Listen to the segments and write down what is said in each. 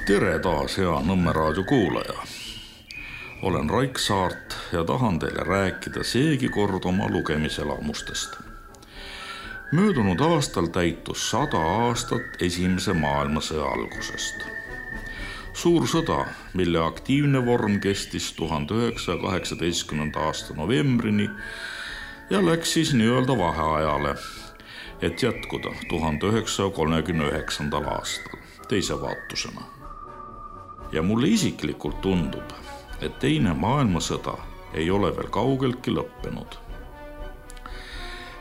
Tere taas, hea Nõmme raadio kuulaja. Olen Raik Saart ja tahan teile rääkida seegi kord oma lugemiselamustest. Möödunud aastal täitus 100 aastat Esimese maailmasõja algusest. Suur sõda, mille aktiivne vorm kestis 1918. aasta novembrini ja läks siis nii-öelda vaheajale, et jätkuda 1939. aastal teise vaatusena. Ja mulle isiklikult tundub, et teine maailmasõda ei ole veel kaugeltki lõppenud.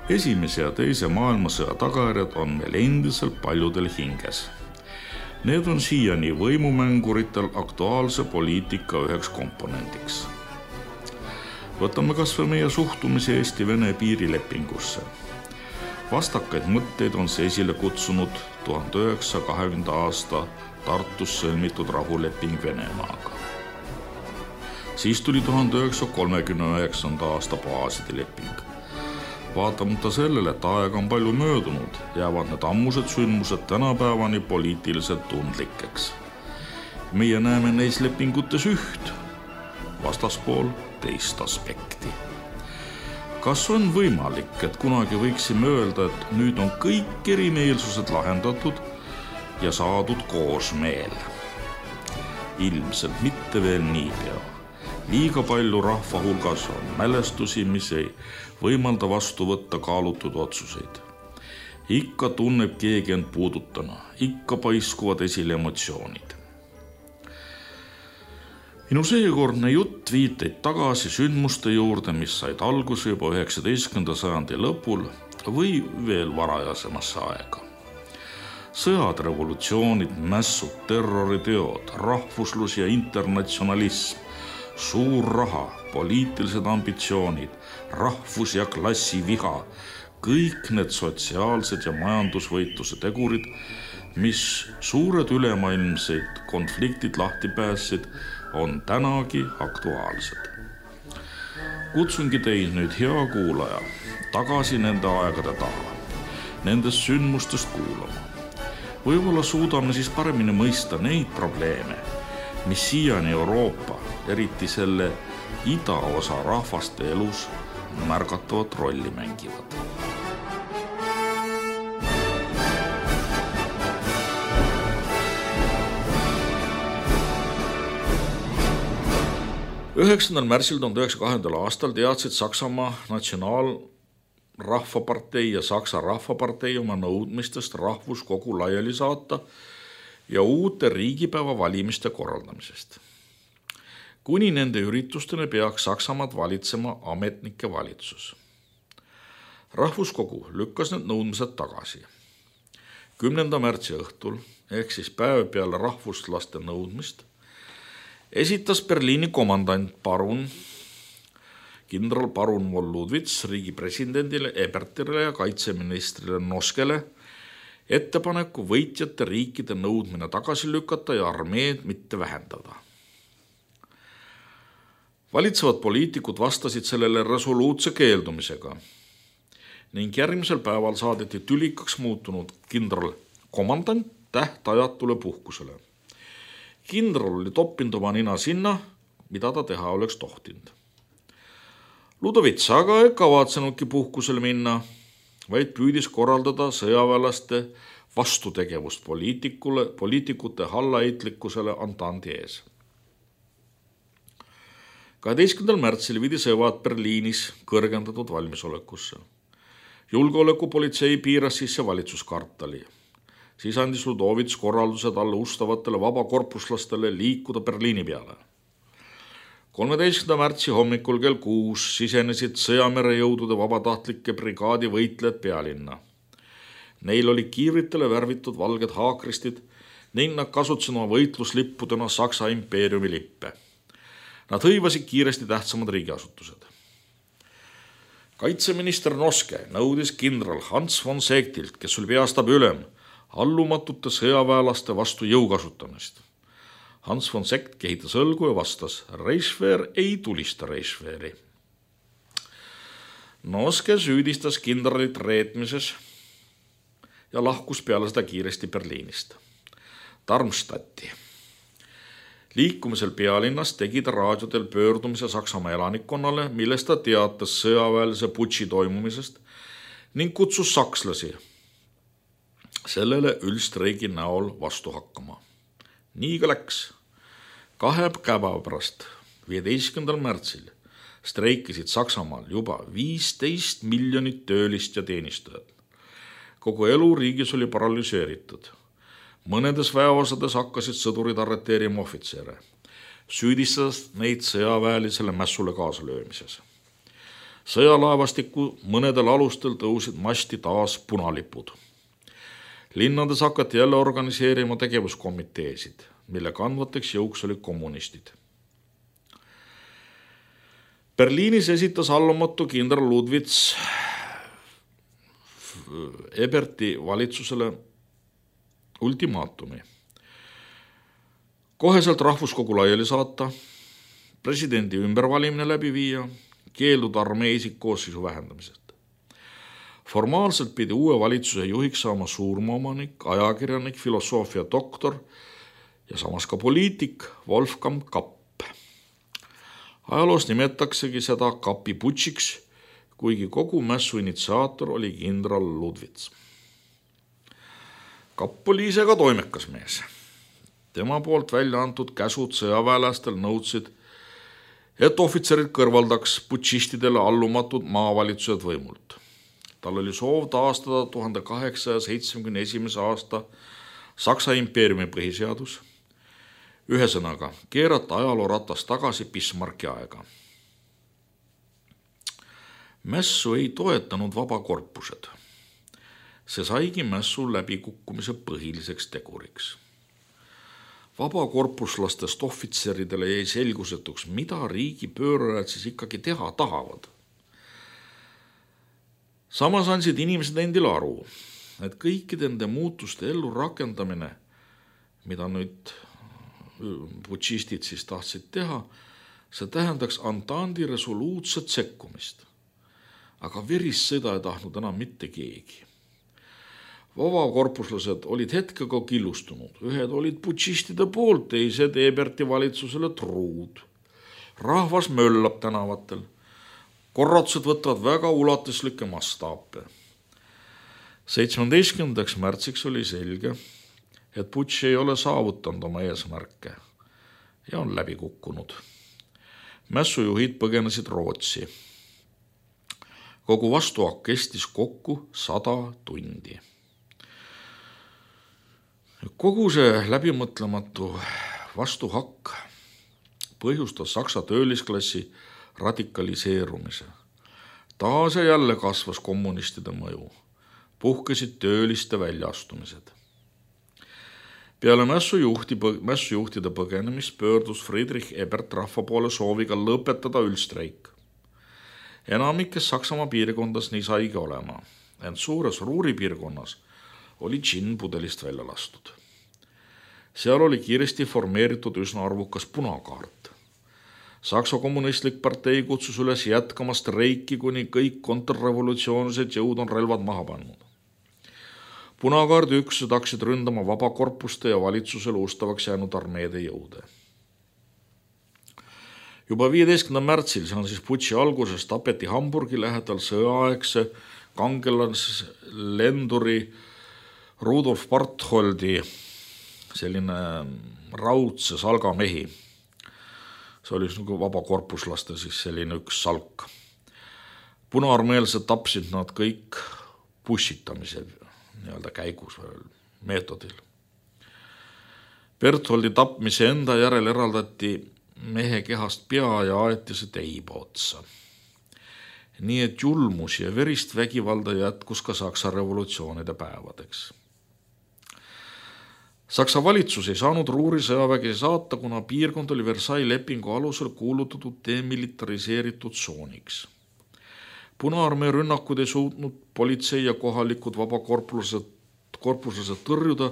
Esimese ja teise maailmasõja tagajärjed on meil endiselt paljudel hinges. Need on siiani võimumänguritel aktuaalse poliitika üheks komponendiks. Võtame kas või meie suhtumise Eesti-Vene piirilepingusse. Vastakaid mõtteid on see esile kutsunud 1920. aasta Tartus sõlmitud rahuleping Venemaaga. Siis tuli 1939. aasta baaside leping. Vaatamata sellele, et aega on palju möödunud, jäävad need ammused sündmused tänapäevani poliitiliselt tundlikeks. Meie näeme neis lepingutes üht, vastaspool teist aspekti. Kas on võimalik, et kunagi võiksime öelda, et nüüd on kõik erimeelsused lahendatud ja saadud koosmeel? Ilmselt mitte veel niipea. Liiga palju rahva hulgas on mälestusi, mis ei võimalda vastu võtta kaalutud otsuseid. Ikka tunneb keegi end puudutana, ikka paiskuvad esile emotsioonid. Minu seekordne jutt viiteid tagasi sündmuste juurde, mis said alguse juba 19. sajandi lõpul või veel varajasemasse aega. Sõjad, revolutsioonid, mässud, terroriteod, rahvuslus ja internatsionalism, suur raha, poliitilised ambitsioonid, rahvus- ja klassiviha, kõik need sotsiaalsed ja majandusvõitluse tegurid, mis suured ülemaailmseid konfliktid lahti päässid, on tänagi aktuaalsed. Kutsungi teid nüüd, hea kuulaja, tagasi nende aegade taha, nendest sündmustest kuulama. Võib-olla suudame siis paremini mõista neid probleeme, mis siiani Euroopa, eriti selle idaosa rahvaste elus märgatavat rolli mängivad. Üheksandal märtsil 1920. aastal teadsid Saksamaa Natsionaalrahvapartei ja Saksa Rahvapartei oma nõudmistest rahvuskogu laiali saata ja uute riigipäeva valimiste korraldamisest. Kuni nende üritusteni peaks Saksamaad valitsema ametnike valitsus. Rahvuskogu lükkas need nõudmised tagasi. 10. märtsi õhtul, ehk siis päev peale rahvuslaste nõudmist, esitas Berliini komandant kindral parun von Ludwitz riigi presidendile Ebertile ja kaitseministrile Noskele ettepaneku võitjate riikide nõudmine tagasi lükata ja armeed mitte vähendada. Valitsevad poliitikud vastasid sellele resoluutse keeldumisega ning järgmisel päeval saadeti tülikaks muutunud kindral komandant tähtajatule puhkusele. Kindral oli toppinud oma nina sinna, mida ta teha oleks tohtinud. Ludovits aga ei kavatsenudki puhkusele minna, vaid püüdis korraldada sõjaväelaste vastutegevust poliitikute hallaheitlikkusele Antandi ees. 12. märtsil viidi sõjad Berliinis kõrgendatud valmisolekusse. Julgeolekupolitsei piiras sisse valitsuskartali. Siis andis Ludovits korraldused alla ustavatele vabakorpuslastele liikuda Berliini peale. 13. märtsi hommikul kell 6 sisenesid sõjamerejõudude vabatahtlike brigaadi võitlejad pealinna. Neil oli kiivritele värvitud valged haakristid ning nad kasutasid oma võitluslippudena Saksa impeeriumi lippe. Nad hõivasid kiiresti tähtsamad riigiasutused. Kaitseminister Noske nõudis kindral Hans von Seectilt, kes oli peastabi ülem, allumatute sõjaväelaste vastu jõu kasutamist. Hans von Seeckt kehitas õlgu ja vastas, Reichswehr ei tulista Reichswehri. Noske süüdistas kindralit reetmises ja lahkus peale seda kiiresti Berliinist. Darmstadti. Liikumisel pealinnas tegi ta raadiodel pöördumise Saksamaa elanikkonnale, milles ta teatas sõjaväelise putši toimumisest ning kutsus sakslasi sellele üldstreigi näol vastu hakkama. Nii ka läks. 2 päeva pärast, 15. märtsil, streikisid Saksamaal juba 15 miljonit töölist ja teenistujat. Kogu elu riigis oli paralüseeritud. Mõnedes väeosades hakkasid sõdurid arreteerima ohvitsere, süüdistades neid sõjaväelisele mässule kaasalöömises. Sõjalaevastiku mõnedel alustel tõusid masti taas punalipud. Linnades hakati jälle organiseerima tegevuskomiteesid, mille kandvateks jõuks olid kommunistid. Berliinis esitas allumatu kindral Ludwitz Eberti valitsusele ultimaatumi. Koheselt rahvuskogu laiali saata, presidendi ümbervalimine läbi viia, keelduda armee isikkoosseisu vähendamisest. Formaalselt pidi uue valitsuse juhiks saama suurmaaomanik, ajakirjanik, filosoofia doktor ja samas ka poliitik Wolfgang Kapp. Ajaloos nimetaksegi seda Kappi putšiks, kuigi kogu mässu initsiaator oli kindral Ludwitz. Kapp oli ise ka toimekas mees. Tema poolt välja antud käsud sõjaväelastel nõudsid, et ohvitserid kõrvaldaks putšistidele allumatud maavalitsused võimult. Tal oli soov taastada 1871. aasta Saksa impeeriumi põhiseadus, ühesõnaga keerata ajaloo ratas tagasi Bismarcki aega. Mässu ei toetanud vabakorpused. See saigi mässu läbikukkumise põhiliseks teguriks. Vabakorpuslastest ohvitseridele jäi selgusetuks, mida riigi pöörajad siis ikkagi teha tahavad. Samas andsid inimesed endile aru, et kõikide nende muutuste ellu rakendamine, mida nüüd putšistid siis tahtsid teha, see tähendaks Antandi resoluutset sekkumist. Aga verist sõda ei tahtnud enam mitte keegi. Vabakorpuslased olid hetkega killustunud, ühed olid putšistide poolt, teised Eberti valitsusele truud. Rahvas möllab tänavatel. Korratused võtavad väga ulatuslikke mastaape. 17. märtsiks oli selge, et putš ei ole saavutanud oma eesmärke ja on läbi kukkunud. Mässujuhid põgenesid Rootsi. Kogu vastuhakk kestis kokku 100 tundi. Kogu see läbimõtlematu vastuhakk põhjustas Saksa töölisklassi radikaliseerumise. Taas ja jälle kasvas kommunistide mõju. Puhkesid tööliste väljaastumised. Peale mässujuhtide põgenemist pöördus Friedrich Ebert rahva poole sooviga lõpetada üldstreik. Enamikes Saksamaa piirkondas nii saigi olema, ent suures Ruuri piirkonnas oli džinn pudelist välja lastud. Seal oli kiiresti formeeritud üsna arvukas punakaart. Saksa kommunistlik partei kutsus üles jätkama streiki, kuni kõik kontrrevolutsioonilised jõud on relvad maha pannud. Punakaardi üksused hakkasid ründama vabakorpuste ja valitsusele ustavaks jäänud armeede jõude. Juba 15. märtsil, see on siis putši alguses, tapeti Hamburgi lähedal sõjaaegse kangelaslenduri Rudolf Bartholdi selline raudse salgamehi. See oli nagu vabakorpuslaste siis selline üks salk. Punaarmeelsed tapsid nad kõik pussitamise käigus meetodil. Bertholdi tapmise enda järel eraldati mehe kehast pea ja aeti see teiba otsa. Nii et julmus ja verist vägivalda jätkus ka Saksa revolutsioonide päevadeks. Saksa valitsus ei saanud Ruuri sõjavägi saata, kuna piirkond oli Versailles lepingu alusel kuulutatud demilitariseeritud tsooniks. Punaarmee rünnakud ei suutnud politsei ja kohalikud vabakorpuslased tõrjuda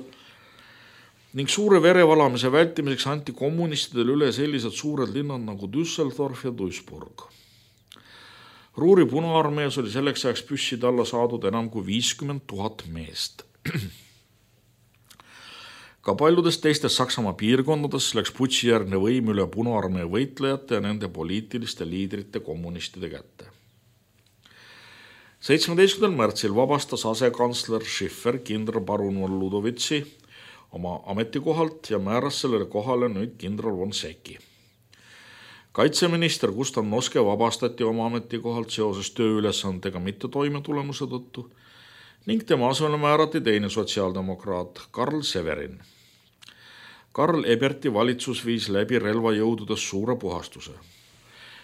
ning suure verevalamise vältimiseks anti kommunistidele üle sellised suured linnad nagu Düsseldorf ja Duisburg. Ruuri punaarmees oli selleks ajaks püsside alla saadud enam kui 50 000 meest. Ka paljudes teistes Saksamaa piirkondades läks putšijärgne võim üle Punaarmee võitlejate ja nende poliitiliste liidrite kommunistide kätte. 17. märtsil vabastas asekantsler Schiffer kindralparun von Ludowitzi oma ametikohalt ja määras sellele kohale nüüd kindral von Secki. Kaitseminister Gustav Noske vabastati oma ametikohalt seoses tööülesandega mitte toimetulemuse tõttu ning tema asemele määrati teine sotsiaaldemokraat Karl Severin. Karl Eberti valitsus viis läbi relvajõududes suure puhastuse.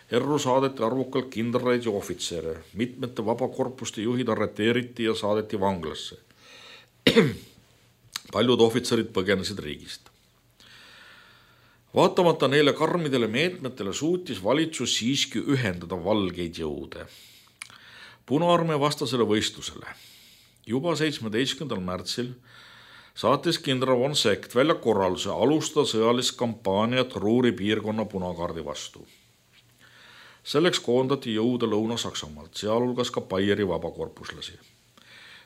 Erru saadeti arvukalt kindraleid ja ohvitsere, mitmete vabakorpuste juhid arreteeriti ja saadeti vanglasse. Paljud ohvitserid põgenesid riigist. Vaatamata neile karmidele meetmetele suutis valitsus siiski ühendada valgeid jõude. Punaarmee vastasele võistlusele. Juba 17. märtsil saatis kindral von Seck välja korralduse alustada sõjalist kampaaniat Ruhri piirkonna punakaardi vastu. Selleks koondati jõude Lõuna-Saksamaalt, sealhulgas ka Baieri vabakorpuslasi.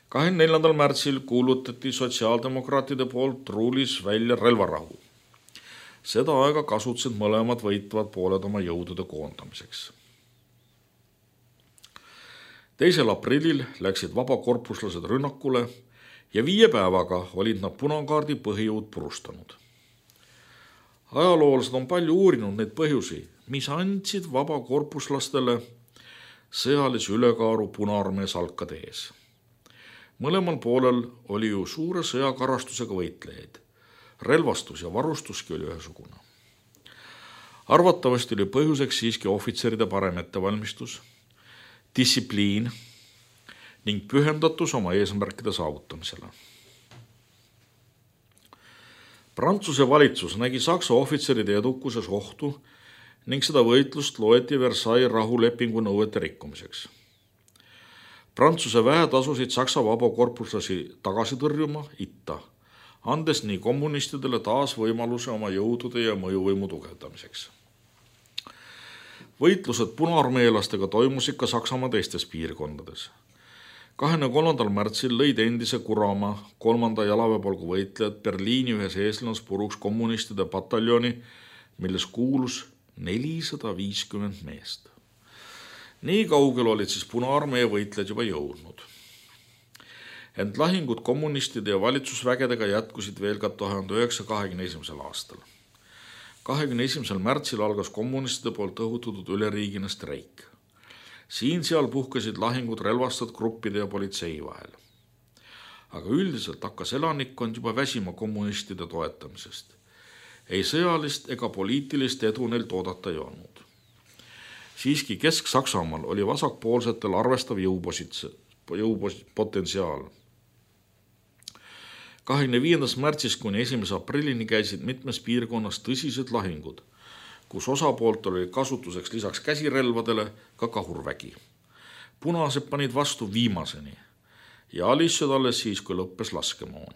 24. märtsil kuulutati sotsiaaldemokraatide poolt Ruhlis välja relvarahu. Seda aega kasutasid mõlemad võitvad pooled oma jõudude koondamiseks. 2. aprillil läksid vabakorpuslased rünnakule ja 5 päevaga olid nad punakaardi põhijõud purustanud. Ajaloolased on palju uurinud neid põhjusi, mis andsid vabakorpuslastele sõjalise ülekaaru Punaarmee salkade ees. Mõlemal poolel oli ju suure sõjakarastusega võitlejaid. Relvastus ja varustuski oli ühesugune. Arvatavasti oli põhjuseks siiski ohvitseride parem ettevalmistus, distsipliin ning pühendatus oma eesmärkide saavutamisele. Prantsuse valitsus nägi Saksa ohvitseride edukuses ohtu ning seda võitlust loeti Versailles rahulepingu nõuete rikkumiseks. Prantsuse väed asusid Saksa vabakorpuslasi tagasi tõrjuma itta, andes nii kommunistidele taas võimaluse oma jõudude ja mõjuvõimu tugevdamiseks. Võitlused punaarmeelastega toimusid ka Saksamaa teistes piirkondades. 23. märtsil lõid endise Kurama 3. jalaväepolgu võitlejad Berliini ühes eeslinnas puruks kommunistide pataljoni, milles kuulus 450 meest. Nii kaugel olid siis Punaarmee võitlejad juba jõudnud. Ent lahingud kommunistide ja valitsusvägedega jätkusid veel ka 1921. aastal. 21. märtsil algas kommunistide poolt õhutatud üleriigine streik. Siin-seal puhkesid lahingud relvastatud gruppide ja politsei vahel. Aga üldiselt hakkas elanikkond juba väsima kommunistide toetamisest. Ei sõjalist ega poliitilist edu neil oodata ei olnud. Siiski Kesk-Saksamaal oli vasakpoolsetel arvestav jõupotentsiaal. 25. märtsist kuni 1. aprillini käisid mitmes piirkonnas tõsised lahingud, kus osapooltel oli kasutuseks lisaks käsirelvadele ka kahurvägi. Punased panid vastu viimaseni ja alissid alles siis, kui lõppes laskemoon.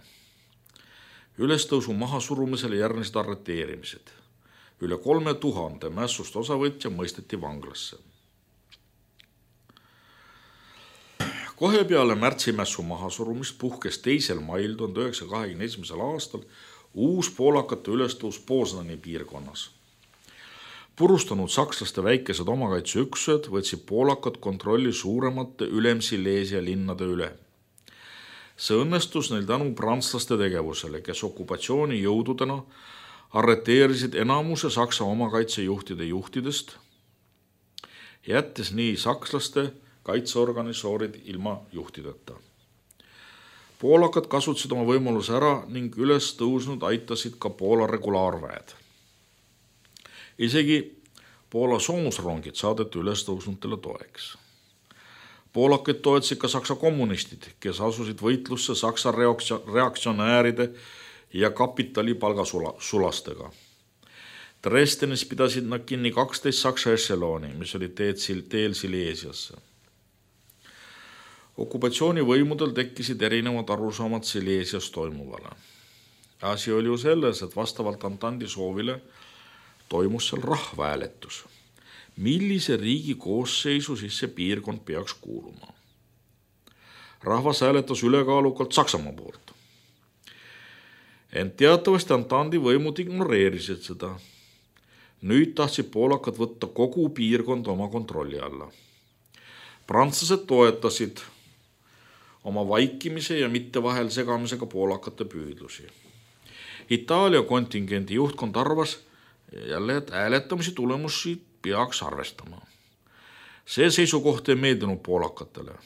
Ülestõusu mahasurumisele järgnesid arreteerimised. Üle 3000 mässust osavõtja mõisteti vanglasse. Kohe peale märtsimässu mahasurumist puhkes 2. mail 1921. aastal uus poolakate ülestõus Poznani piirkonnas. Purustanud sakslaste väikesed omakaitseüksused võtsid poolakad kontrolli suuremate Ülemsileesia linnade üle. See õnnestus neil tänu prantslaste tegevusele, kes okupatsioonijõududena arreteerisid enamuse Saksa omakaitsejuhtide juhtidest, jättes nii sakslaste kaitseorganisoorid ilma juhtideta. Poolakad kasutasid oma võimaluse ära ning üles tõusnud aitasid ka Poola regulaarväed. Isegi Poola soomusrongid saadeti üles tõusnutele toeks. Poolakaid toetasid ka Saksa kommunistid, kes asusid võitlusse Saksa reaktsionääride ja kapitali palgasulastega. Dresdenis pidasid nad kinni 12 Saksa ešelooni, mis oli teel Sileesiasse. Okupatsioonivõimudel tekkisid erinevad arusaamad Sileesias toimuvale. Asi oli ju selles, et vastavalt Antandi soovile toimus seal rahvahääletus. Millise riigi koosseisu siis see piirkond peaks kuuluma? Rahvas hääletas ülekaalukalt Saksamaa poolt. Ent teatavasti Antandi võimud ignoreerisid seda. Nüüd tahtsid poolakad võtta kogu piirkond oma kontrolli alla. Prantslased toetasid oma vaikimise ja mitte vahel segamisega poolakate püüdlusi. Itaalia kontingendi juhtkond arvas jälle, et hääletamise tulemusi peaks arvestama. See seisukoht ei meeldinud poolakatele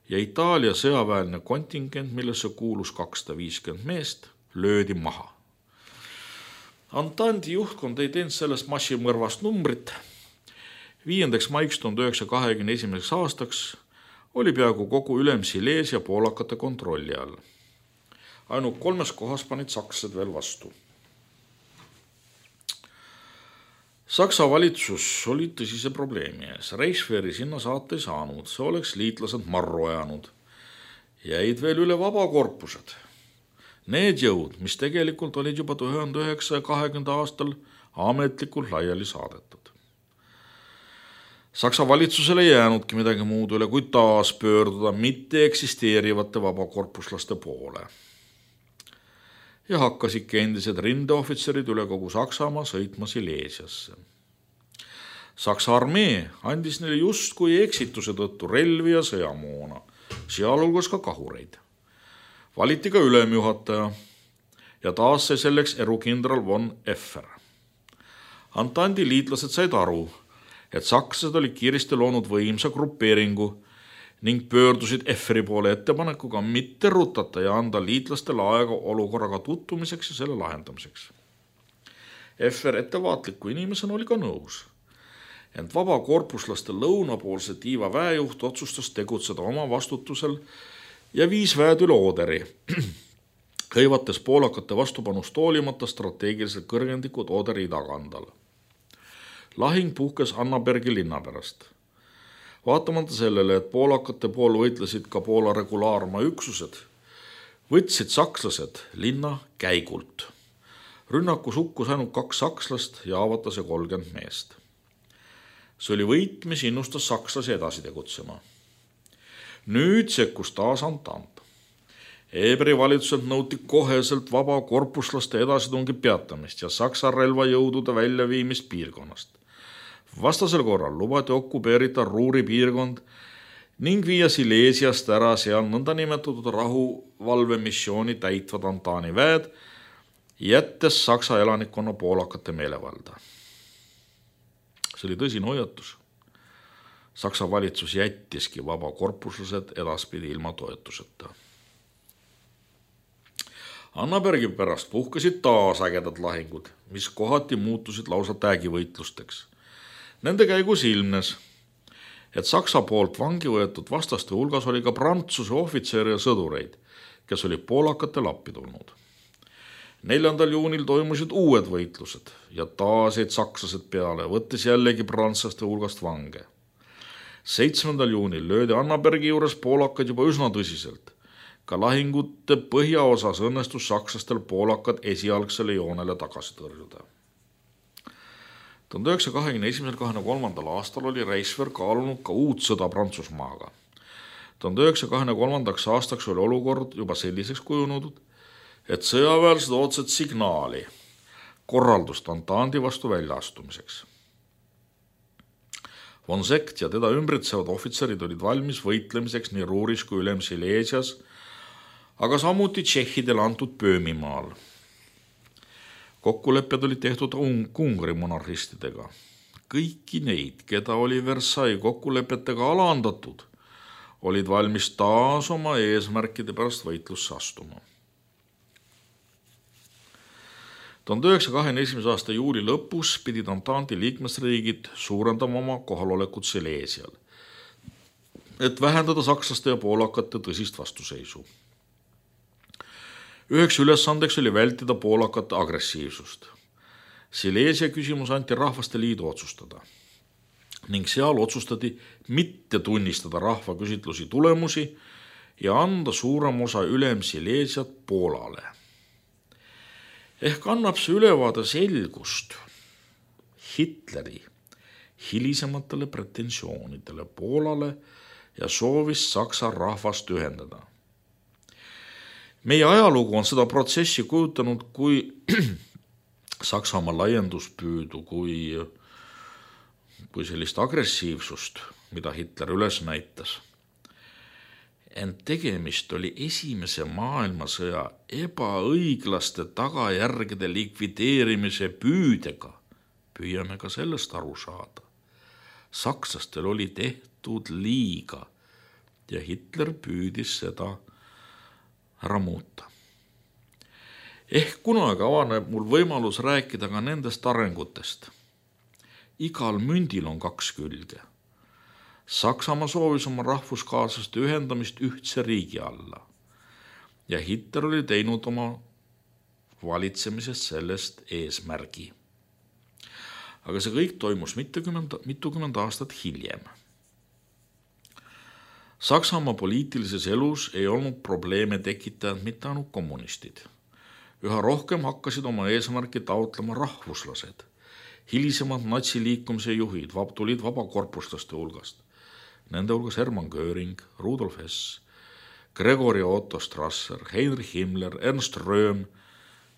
ja Itaalia sõjaväeline kontingent, millesse kuulus 250 meest, löödi maha. Antandi juhtkond ei teinud sellest massimõrvast numbrit. 5. maiks 1921. aastaks oli peaaegu kogu Ülem-Sileesia poolakate kontrolli all. Ainult 3 kohas panid sakslased veel vastu. Saksa valitsus oli tõsise probleemi ees. Reichswehri sinna saata ei saanud, see oleks liitlased marru ajanud. Jäid veel üle vabakorpused. Need jõud, mis tegelikult olid juba 1920. aastal ametlikult laiali saadetud. Saksa valitsusele ei jäänudki midagi muud üle, kui taas pöörduda mitte eksisteerivate vabakorpuslaste poole. Ja hakkasidki endised rindeohvitserid üle kogu Saksamaa sõitma Sileesiasse. Saksa armee andis neile justkui eksituse tõttu relvi ja sõjamoona, sealhulgas ka kahureid. Valiti ka ülemjuhataja ja taas sai selleks erukindral von Effer. Antandi liitlased said aru, et sakslased olid kiiresti loonud võimsa grupeeringu ning pöördusid Efferi poole ettepanekuga mitte rutata ja anda liitlastele aega olukorraga tutvumiseks ja selle lahendamiseks. Effer ettevaatliku inimesena oli ka nõus, ent vabakorpuslaste lõunapoolse tiiva väejuht otsustas tegutseda oma vastutusel ja viis väed üle Oderi, hõivates poolakate vastupanust hoolimata strateegiliselt kõrgendikud Oderi idakandal. Lahing puhkes Annabergi linna pärast. Vaatamata sellele, et poolakate pool võitlesid ka Poola regulaarmaa üksused, võtsid sakslased linna käigult. Rünnakus hukkus ainult 2 sakslast ja haavatas 30 meest. See oli võit, mis innustas sakslasi edasi tegutsema. Nüüd sekkus taas Antant. Eberi valitsuselt nõuti koheselt vabakorpuslaste edasitungi peatamist ja saksa relvajõudude väljaviimist piirkonnast. Vastasel korral lubati okupeerida Ruuri piirkond ning viia Sileesiast ära seal nõndanimetatud rahuvalvemissiooni täitvad Antani väed, jättes saksa elanikkonna poolakate meelevalda. See oli tõsine hoiatus. Saksa valitsus jättiski vabakorpuslased edaspidi ilma toetuseta. Annabergi pärast puhkesid taas ägedad lahingud, mis kohati muutusid lausa täägivõitlusteks. Nende käigus ilmnes, et Saksa poolt vangi võetud vastaste hulgas oli ka Prantsuse ohvitsere ja sõdureid, kes olid poolakatele appi tulnud. 4. juunil toimusid uued võitlused ja taas jäid sakslased peale, võttes jällegi prantslaste hulgast vange. 7. juunil löödi Annabergi juures poolakad juba üsna tõsiselt. Ka lahingute põhjaosas õnnestus sakslastel poolakad esialgsele joonele tagasi tõrjuda. 1921-23. aastal oli Reichswehr kaalunud ka uut sõda Prantsusmaaga. 1923. aastaks oli olukord juba selliseks kujunud, et sõjaväelased ootsid signaali, korraldust Antandi vastu väljaastumiseks. Von Sekt ja teda ümbritsevad ohvitserid olid valmis võitlemiseks nii Ruuris kui Ülem-Sileesias, aga samuti tšehhidele antud Pöömimaal. Kokkulepped olid tehtud Ungari monarhistidega. Kõiki neid, keda oli Versailles kokkulepetega alandatud, olid valmis taas oma eesmärkide pärast võitlusse astuma. 1921. aasta juuli lõpus pidid Antanti liikmesriigid suurendama oma kohalolekut Sileesial, et vähendada sakslaste ja poolakate tõsist vastuseisu. Üheks ülesandeks oli vältida poolakate agressiivsust. Sileesia küsimus anti Rahvaste Liidu otsustada ning seal otsustati mitte tunnistada rahvaküsitlusi tulemusi ja anda suurem osa Ülem-Sileesiat Poolale. Ehk annab see ülevaade selgust Hitleri hilisematele pretensioonidele Poolale ja soovist Saksa rahvast ühendada. Meie ajalugu on seda protsessi kujutanud kui Saksamaa laienduspüüdu, kui sellist agressiivsust, mida Hitler üles näitas. Ent tegemist oli esimese maailmasõja ebaõiglaste tagajärgede likvideerimise püüdega. Püüame ka sellest aru saada. Sakslastel oli tehtud liiga ja Hitler püüdis seda ära muuta. Ehk kunagi avaneb mul võimalus rääkida ka nendest arengutest. Igal mündil on 2 külge. Saksamaa soovis oma rahvuskaaslaste ühendamist ühtse riigi alla ja Hitler oli teinud oma valitsemisest sellest eesmärgi. Aga see kõik toimus mitukümmend aastat hiljem. Saksamaa poliitilises elus ei olnud probleeme tekitajad mitte ainult kommunistid. Üha rohkem hakkasid oma eesmärki taotlema rahvuslased. Hilisemad natsiliikumise juhid tulid vabakorpuslaste hulgast. Nende hulgas Hermann Göring, Rudolf Hess, Gregory Otto Strasser, Heinrich Himmler, Ernst Röhm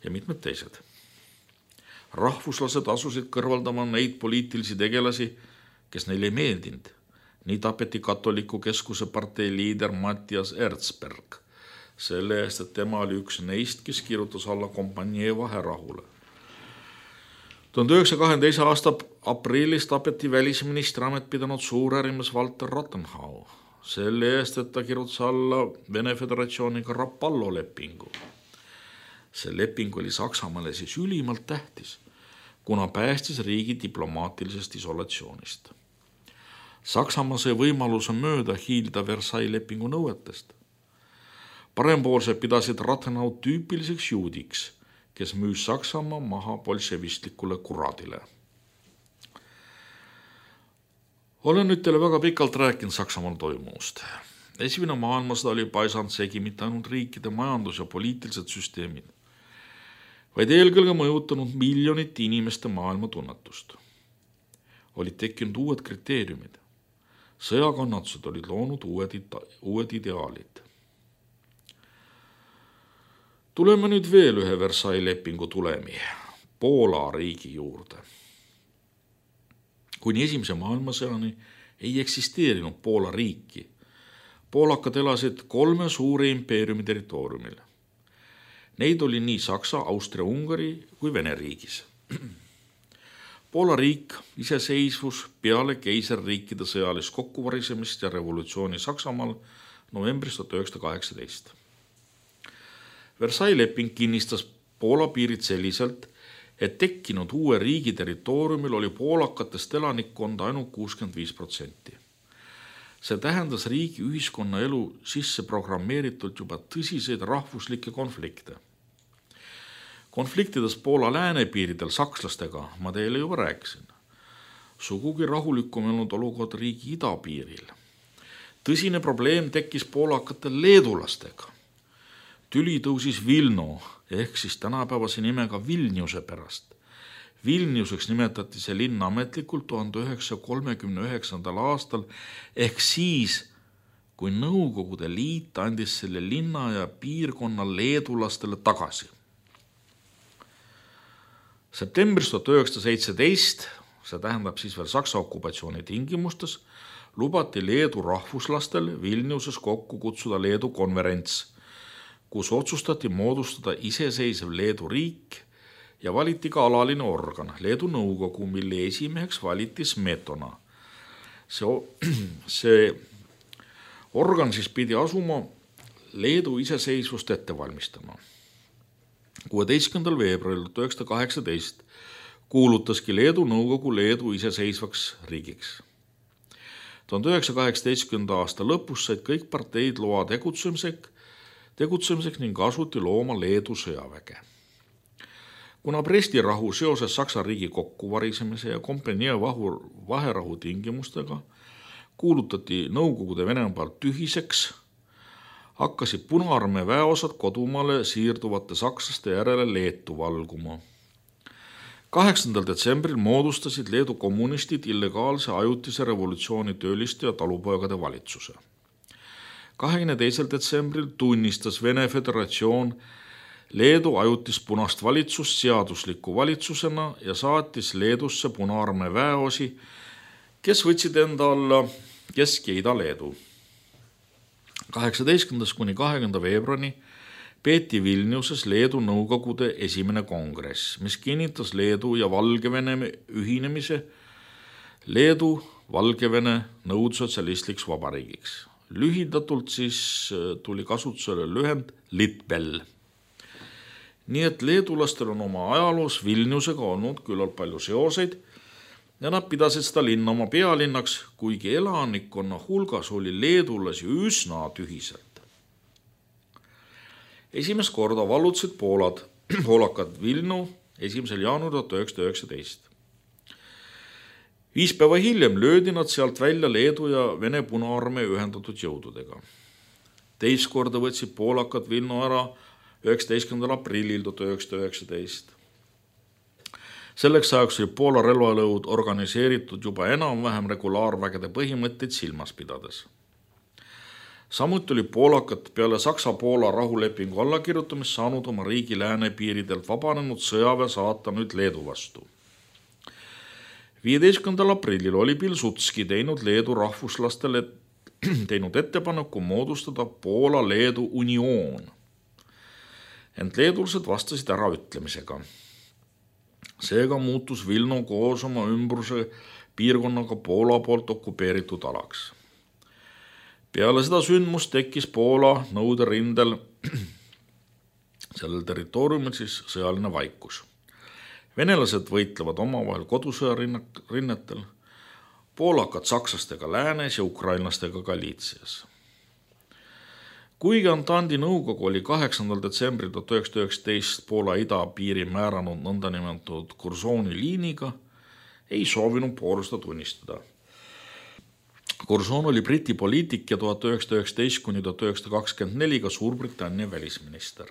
ja mitmed teised. Rahvuslased asusid kõrvaldama neid poliitilisi tegelasi, kes neile ei meeldinud. Nii tapeti katoliku keskuse partei liider Matthias Erzberg. Selle eest, et tema oli üks neist, kes kirjutas alla kompanii vaherahule. 1922. aasta aprillis tapeti välisministri amet pidanud suurärimees Walter Rathenau. Selle eest, et ta kirjutas alla Vene Föderatsiooniga Rapallo lepingu. See leping oli Saksamaale siis ülimalt tähtis, kuna päästis riigi diplomaatilisest isolatsioonist. Saksamaa sai võimaluse mööda hiilda Versailles lepingu nõuetest. Parempoolsed pidasid Rathenau tüüpiliseks juudiks, kes müüs Saksamaa maha bolševistlikule kuradile. Olen nüüd teile väga pikalt rääkinud Saksamaal toimust. Esimene maailmasõda oli paisanud segi mitte ainult riikide majandus- ja poliitilised süsteemid, vaid eelkõige mõjutanud miljonite inimeste maailmatunnetust. Olid tekkinud uued kriteeriumid. Sõjakannatused olid loonud uued ideaalid. Tuleme nüüd veel ühe Versailles lepingu tulemi, Poola riigi juurde. Kuni esimese maailmasõjani ei eksisteerinud Poola riiki. Poolakad elasid 3 suure impeeriumi territooriumil. Neid oli nii Saksa, Austria, Ungari kui Vene riigis. Poola riik iseseisvus peale keisarriikide sõjalist kokkuvarisemist ja revolutsiooni Saksamaal novembris 1918. Versailles leping kinnistas Poola piirid selliselt, et tekkinud uue riigi territooriumil oli poolakatest elanikkonda ainult 65%. See tähendas riigi ühiskonna elu sisse programmeeritult juba tõsiseid rahvuslikke konflikte. Konfliktides Poola läänepiiridel sakslastega ma teile juba rääkisin. Sugugi rahulikum olnud olukord riigi idapiiril. Tõsine probleem tekkis poolakatel leedulastega. Tüli tõusis Vilno ehk siis tänapäevase nimega Vilniuse pärast. Vilniuseks nimetati see linn ametlikult 1939. aastal ehk siis, kui Nõukogude Liit andis selle linna ja piirkonna leedulastele tagasi. Septembris 1917, see tähendab siis veel Saksa okupatsiooni tingimustes, lubati Leedu rahvuslastel Vilniuses kokku kutsuda Leedu konverents, kus otsustati moodustada iseseisev Leedu riik ja valiti ka alaline organ, Leedu nõukogu, mille esimeheks valiti Smetona. See organ siis pidi asuma Leedu iseseisvust ette valmistama. 16. veebruaril 1918 kuulutaski Leedu nõukogu Leedu iseseisvaks riigiks. 1918. aasta lõpus said kõik parteid loa tegutsemiseks ning asuti looma Leedu sõjaväge. Kuna Bresti rahu seoses Saksa riigi kokkuvarisemise ja kompanii vaherahu tingimustega kuulutati Nõukogude Venemaa tühiseks, hakkasid Punaarmee väeosad kodumaale siirduvate sakslaste järele Leetu valguma. 8. detsembril moodustasid Leedu kommunistid illegaalse ajutise revolutsiooni tööliste ja talupoegade valitsuse. 22. detsembril tunnistas Vene Föderatsioon Leedu ajutist punast valitsust seadusliku valitsusena ja saatis Leedusse Punaarmee väeosi, kes võtsid enda alla Kesk- ja Ida-Leedu. 18. kuni 20. veebruari peeti Vilniuses Leedu nõukogude esimene kongress, mis kinnitas Leedu ja Valgevene ühinemise Leedu Valgevene nõudsotsialistliks vabariigiks. Lühidatult siis tuli kasutusele lühend Litbel. Nii et leedulastel on oma ajaloos Vilniusega olnud küllalt palju seoseid ja nad pidasid seda linna oma pealinnaks, kuigi elanikkonna hulgas oli leedulasi üsna tühiselt. Esimest korda vallutasid poolakad Vilnu 1. jaanuaril 1919. 5 päeva hiljem löödi nad sealt välja Leedu ja Vene Punaarmee ühendatud jõududega. Teist korda võtsid poolakad Vilnu ära 19. aprillil 1919. Selleks ajaks oli Poola relvalõud organiseeritud juba enam-vähem regulaarvägede põhimõtteid silmas pidades. Samuti oli poolakad peale Saksa-Poola rahulepingu allakirjutamist saanud oma riigi läänepiiridelt vabanenud sõjaväe saata nüüd Leedu vastu. 15. aprillil oli Pilsudski teinud Leedu rahvuslastele ettepaneku moodustada Poola-Leedu unioon. Ent leedulased vastasid äraütlemisega. Seega muutus Vilnu koos oma ümbruse piirkonnaga Poola poolt okupeeritud alaks. Peale seda sündmust tekkis Poola nõuderindel sellel territooriumil siis sõjaline vaikus. Venelased võitlevad omavahel kodusõjarinnetel, poolakad sakslastega läänes ja ukrainlastega Galiitsias. Kuigi Antandi nõukogu oli 8. detsembril 1919 Poola idapiiri määranud nõndanimetatud Curzoni liiniga, ei soovinud Poola seda tunnistada. Curzon oli Briti poliitik ja 1919 kuni 1924 ka Suurbritannia välisminister.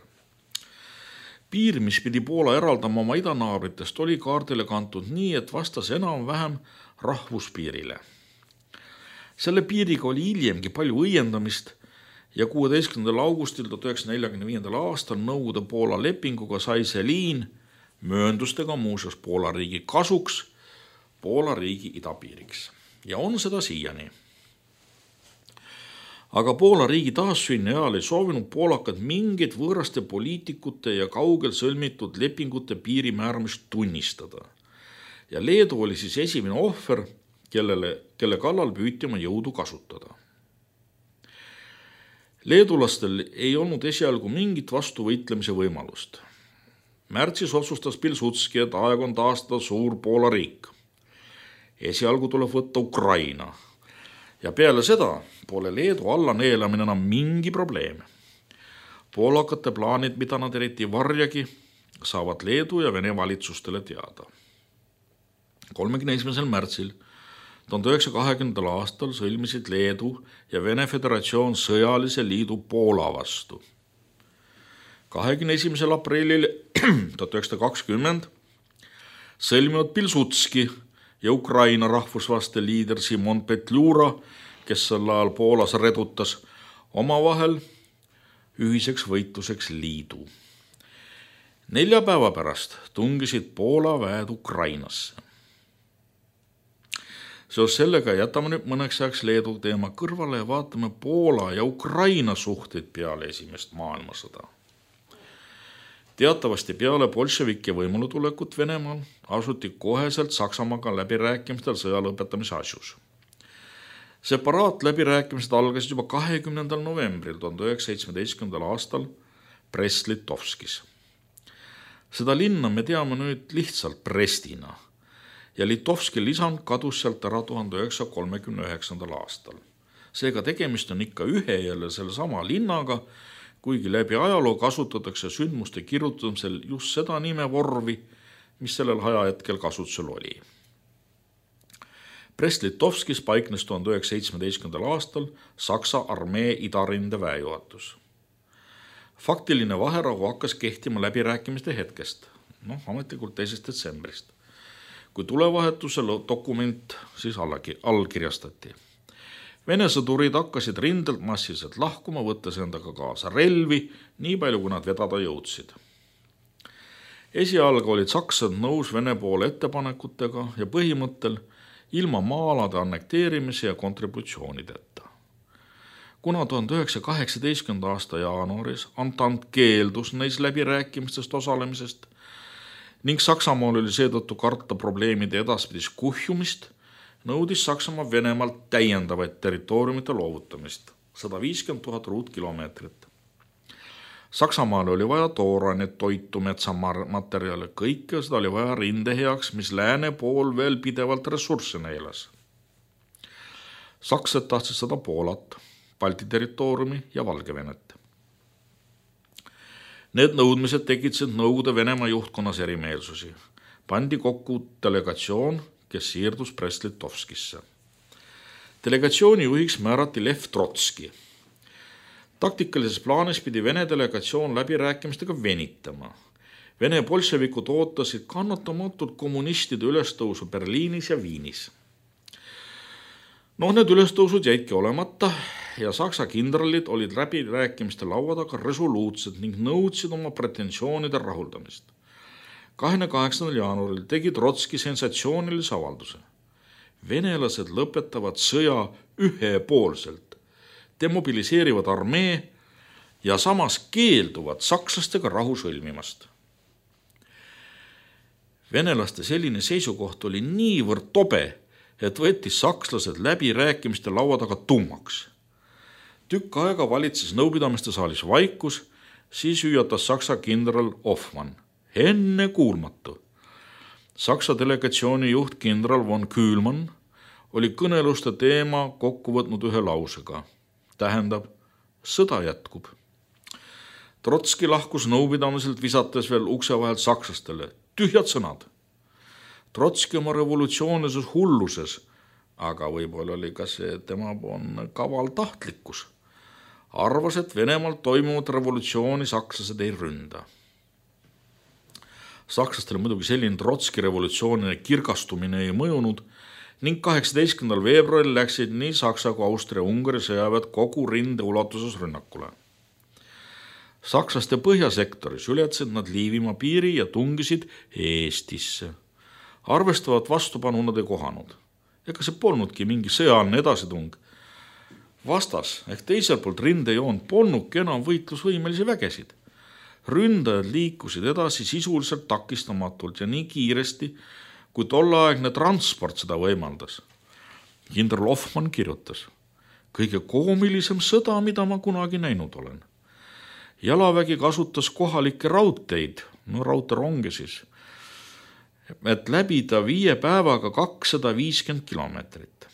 Piir, mis pidi Poola eraldama oma idanaabritest, oli kaardile kantud nii, et vastas enam-vähem rahvuspiirile. Selle piiriga oli hiljemgi palju õiendamist ja 16. augustil 1945. aastal Nõukogude Poola lepinguga sai see liin mööndustega muuseas Poola riigi kasuks Poola riigi idapiiriks ja on seda siiani. Aga Poola riigi taassünni ajal ei soovinud poolakad mingit võõraste poliitikute ja kaugel sõlmitud lepingute piiri määramist tunnistada. Ja Leedu oli siis esimene ohver, kelle kallal püüti oma jõudu kasutada. Leedulastel ei olnud esialgu mingit vastuvõitlemise võimalust. Märtsis otsustas Pilsudski, et aeg on taastada suur Poola riik. Esialgu tuleb võtta Ukraina. Ja peale seda pole Leedu alla neelamine enam mingi probleem. Poolakate plaanid, mida nad eriti varjagi, saavad Leedu ja Vene valitsustele teada. 31. märtsil 1920. aastal sõlmisid Leedu ja Vene Föderatsioon sõjalise liidu Poola vastu. 21. aprillil 1920 sõlminud Pilsudski ja Ukraina rahvusvaste liider Simon Petliura, kes sel ajal Poolas redutas, omavahel ühiseks võitluseks liidu. 4 päeva pärast tungisid Poola väed Ukrainasse. Seos sellega jätame nüüd mõneks ajaks Leedu teema kõrvale ja vaatame Poola ja Ukraina suhteid peale esimest maailmasõda. Teatavasti peale bolševike võimule tulekut Venemaal asuti koheselt Saksamaaga läbirääkimistel sõja lõpetamise asjus. Separaat läbirääkimised algasid juba 20. novembril 1917. aastal Brest-Litovskis. Seda linna me teame nüüd lihtsalt Brestina ja Litovski lisand kadus sealt ära 1939. aastal. Seega tegemist on ikka ühe jälle selle sama linnaga, kuigi läbi ajaloo kasutatakse sündmuste kirjutamisel just seda nimevormi, mis sellel ajahetkel kasutusel oli. Brest-Litovskis paiknes 1917. aastal Saksa armee idarinde väejuhatus. Faktiline vaherahu hakkas kehtima läbirääkimiste hetkest, ametlikult 2. detsembrist, kui tulevahetuse dokument siis allkirjastati. Vene sõdurid hakkasid rindelt massiliselt lahkuma, võttes endaga kaasa relvi, nii palju kui nad vedada jõudsid. Esialgu olid sakslased nõus Vene poole ettepanekutega ja põhimõttel ilma maa-alade annekteerimise ja kontributsioonideta. Kuna 1918. aasta jaanuaris Antant keeldus neis läbirääkimistest osalemisest ning Saksamaal oli seetõttu karta probleemide edaspidis kuhjumist, nõudis Saksamaa Venemaalt täiendavaid territooriumite loovutamist, 150 000 ruutkilomeetrit. Saksamaal oli vaja toorainet, toitu, metsamaterjale, kõike seda oli vaja rinde heaks, mis lääne pool veel pidevalt ressursse neelas. Sakslased tahtsid seda Poolat, Balti territooriumi ja Valgevenet. Need nõudmised tekitasid Nõukogude Venemaa juhtkonnas erimeelsusi. Pandi kokku delegatsioon, kes siirdus Brest-Litovskisse. Delegatsiooni juhiks määrati Lev Trotski. Taktikalises plaanis pidi Vene delegatsioon läbirääkimistega venitama. Vene bolševikud ootasid kannatamatult kommunistide ülestõusu Berliinis ja Viinis. Need ülestõusud jäidki olemata ja Saksa kindralid olid läbirääkimiste laua taga resoluutsed ning nõudsid oma pretensioonide rahuldamist. 28. jaanuaril tegi Trotski sensatsioonilise avalduse. Venelased lõpetavad sõja ühepoolselt, demobiliseerivad armee ja samas keelduvad sakslastega rahu sõlmimast. Venelaste selline seisukoht oli niivõrd tobe, et võttis sakslased läbirääkimiste laua taga tummaks. Tükk aega valitses nõupidamiste saalis vaikus, siis hüüatas Saksa kindral Hoffmann. Enne kuulmatu. Saksa delegatsiooni juht kindral von Kühlmann oli kõneluste teema kokku võtnud ühe lausega. Tähendab, sõda jätkub. Trotski lahkus nõupidamiselt visates veel ukse vahelt sakslastele. Tühjad sõnad. Trotski oma revolutsioonilises hulluses, aga võib-olla oli ka see tema kaval tahtlikkus. Arvas, et Venemaal toimuvat revolutsiooni sakslased ei ründa. Sakslastele muidugi selline Trotski revolutsioonine kirgastumine ei mõjunud ning 18. veebruaril läksid nii Saksa kui Austria-Ungari sõjaväed kogu rinde ulatuses rünnakule. Sakslaste põhjasektoris ületasid nad Liivimaa piiri ja tungisid Eestisse. Arvestavat vastupanu nad ei kohanud. Ega see polnudki mingi sõjaline edasitung. Vastas ehk teisel poolt rindejoon polnudki enam võitlusvõimelisi vägesid. Ründajad liikusid edasi sisuliselt takistamatult ja nii kiiresti, kui tolleaegne transport seda võimaldas. Kindral Hoffmann kirjutas, kõige koomilisem sõda, mida ma kunagi näinud olen. Jalavägi kasutas kohalikke raudteid, raudteeronge siis, et läbida 5 päevaga 250 kilomeetrit.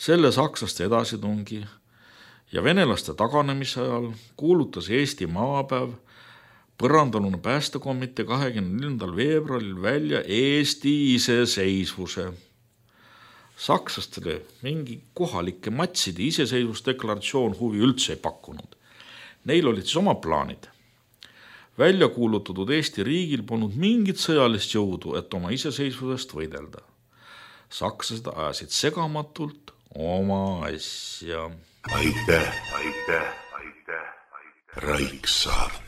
Selle sakslaste edasitungi ja venelaste taganemise ajal kuulutas Eesti maapäev põrandalune päästekomitee 24. veebruaril välja Eesti iseseisvuse. Sakslastele mingi kohalike matside iseseisvusdeklaratsioon huvi üldse ei pakkunud. Neil olid siis oma plaanid. Välja kuulutatud Eesti riigil polnud mingit sõjalist jõudu, et oma iseseisvusest võidelda. Sakslased ajasid segamatult oma asja. Aitäh. Raiksaart.